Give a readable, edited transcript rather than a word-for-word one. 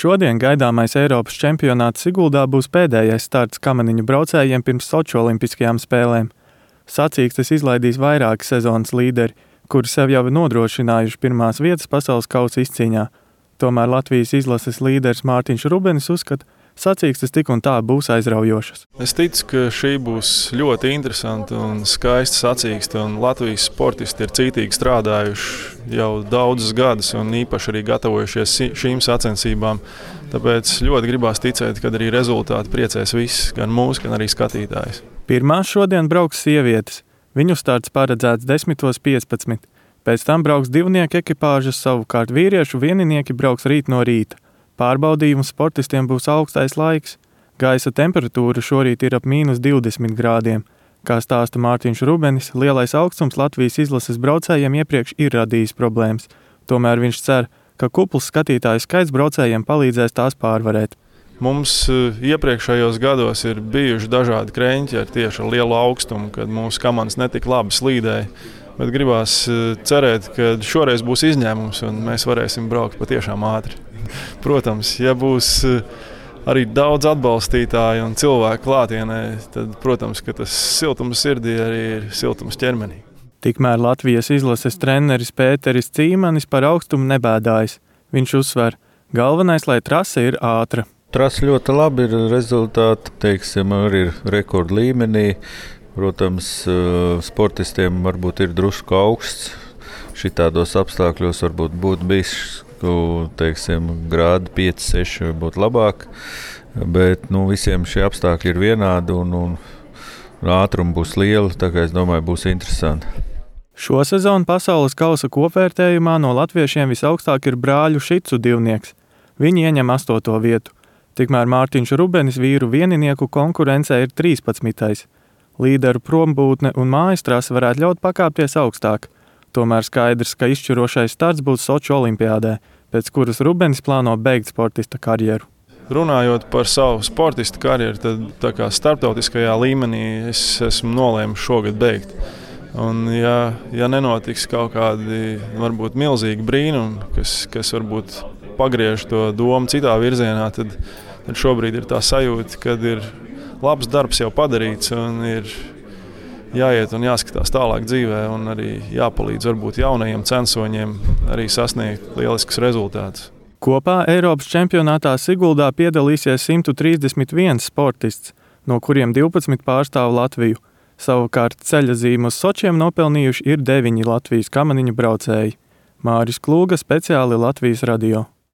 Šodien gaidāmais Eiropas čempionāts Siguldā būs pēdējais starts kamaniņu braucējiem pirms Soču olimpiskajām spēlēm. Sacīkstes izlaidīs vairāki sezonas līderi, kuri sev jau ir nodrošinājuši pirmās vietas pasaules kausa izcīņā. Tomēr Latvijas izlases līderis Mārtiņš Rubenis uzskata, sacīkstes tik un tā būs aizraujošas. Es ticu, ka šī būs ļoti interesanta un skaista sacīkste, un Latvijas sportisti ir cītīgi strādājuši jau daudzus gadus un īpaši arī gatavojušies šīm sacensībām. Tāpēc ļoti gribās ticēt, ka arī rezultāti priecēs visus, gan mūs, gan arī skatītājus. Pirmās šodien brauks sievietes. Viņu starts paredzēts 10:15. Pēc tam brauks divnieku ekipāžas, savukārt vīriešu vieninieki brauks rīt no rīta. Pārbaudījums sportistiem būs augstais laiks. Gaisa temperatūra šorīt ir ap -20 grādiem. Kā stāsta Mārtiņš Rubenis, lielais augstums Latvijas izlases braucējiem iepriekš ir radījis problēmas. Tomēr viņš cer, ka kupls skatītāju skaits braucējiem palīdzēs tās pārvarēt. Mums iepriekšējos gados ir bijuši dažādi kreņķi ar tieši ar lielu augstumu, kad mūsu komandas netik labi slīdēja. Bet gribās cerēt, ka šoreiz būs izņēmums un mēs varēsim braukt patiešām ātri. Protams, ja būs arī daudz atbalstītāju un cilvēku klātienē, tad, protams, ka tas siltums sirdī arī ir siltums ķermenī. Tikmēr Latvijas izlases treneris Pēteris Cīmanis par augstumu nebēdājas. Viņš uzsver, galvenais, lai trase ir ātra. Trase ļoti labi ir, rezultāti, teiksim, arī ir rekordu līmenī. Protams, sportistiem varbūt ir drusku augsts. Šitādos apstākļos varbūt būtu bijis, teiksim, grādi 5-6 būtu labāk. Bet visiem šie apstākļi ir vienādi un ātrumi būs lieli, tā kā es domāju, būs interesanti. Šo sezonu pasaules kausa kopvērtējumā no latviešiem visaugstāk ir brāļu Šicu divnieks. Viņi ieņem 8. vietu. Tikmēr Mārtiņš Rubenis vīru vieninieku konkurencē ir 13. Līderu prombūtne un mājas trase varētu ļaut pakāpties augstāk. Tomēr skaidrs, ka izšķirošais starts būs Soču olimpiādē, pēc kuras Rubenis plāno beigt sportista karjeru. Runājot par savu sportista karjeru, tad tā kā starptautiskajā līmenī es esmu nolēmis šogad beigt. Un ja nenotiks kaut kādi varbūt milzīgi brīnumi, kas varbūt pagriež to domu citā virzienā, tad šobrīd ir tā sajūta, kad ir labs darbs jau padarīts un ir jāiet un jāskatās tālāk dzīvē un arī jāpalīdz varbūt jaunajiem censoņiem arī sasniegt lieliskus rezultātus. Kopā Eiropas čempionātā Siguldā piedalīsies 131 sportists, no kuriem 12 pārstāv Latviju. Savukārt ceļazīmu uz Sočiem nopelnījuši ir 9 Latvijas kamaniņu braucēji. Māris Klūga, speciāli Latvijas radio.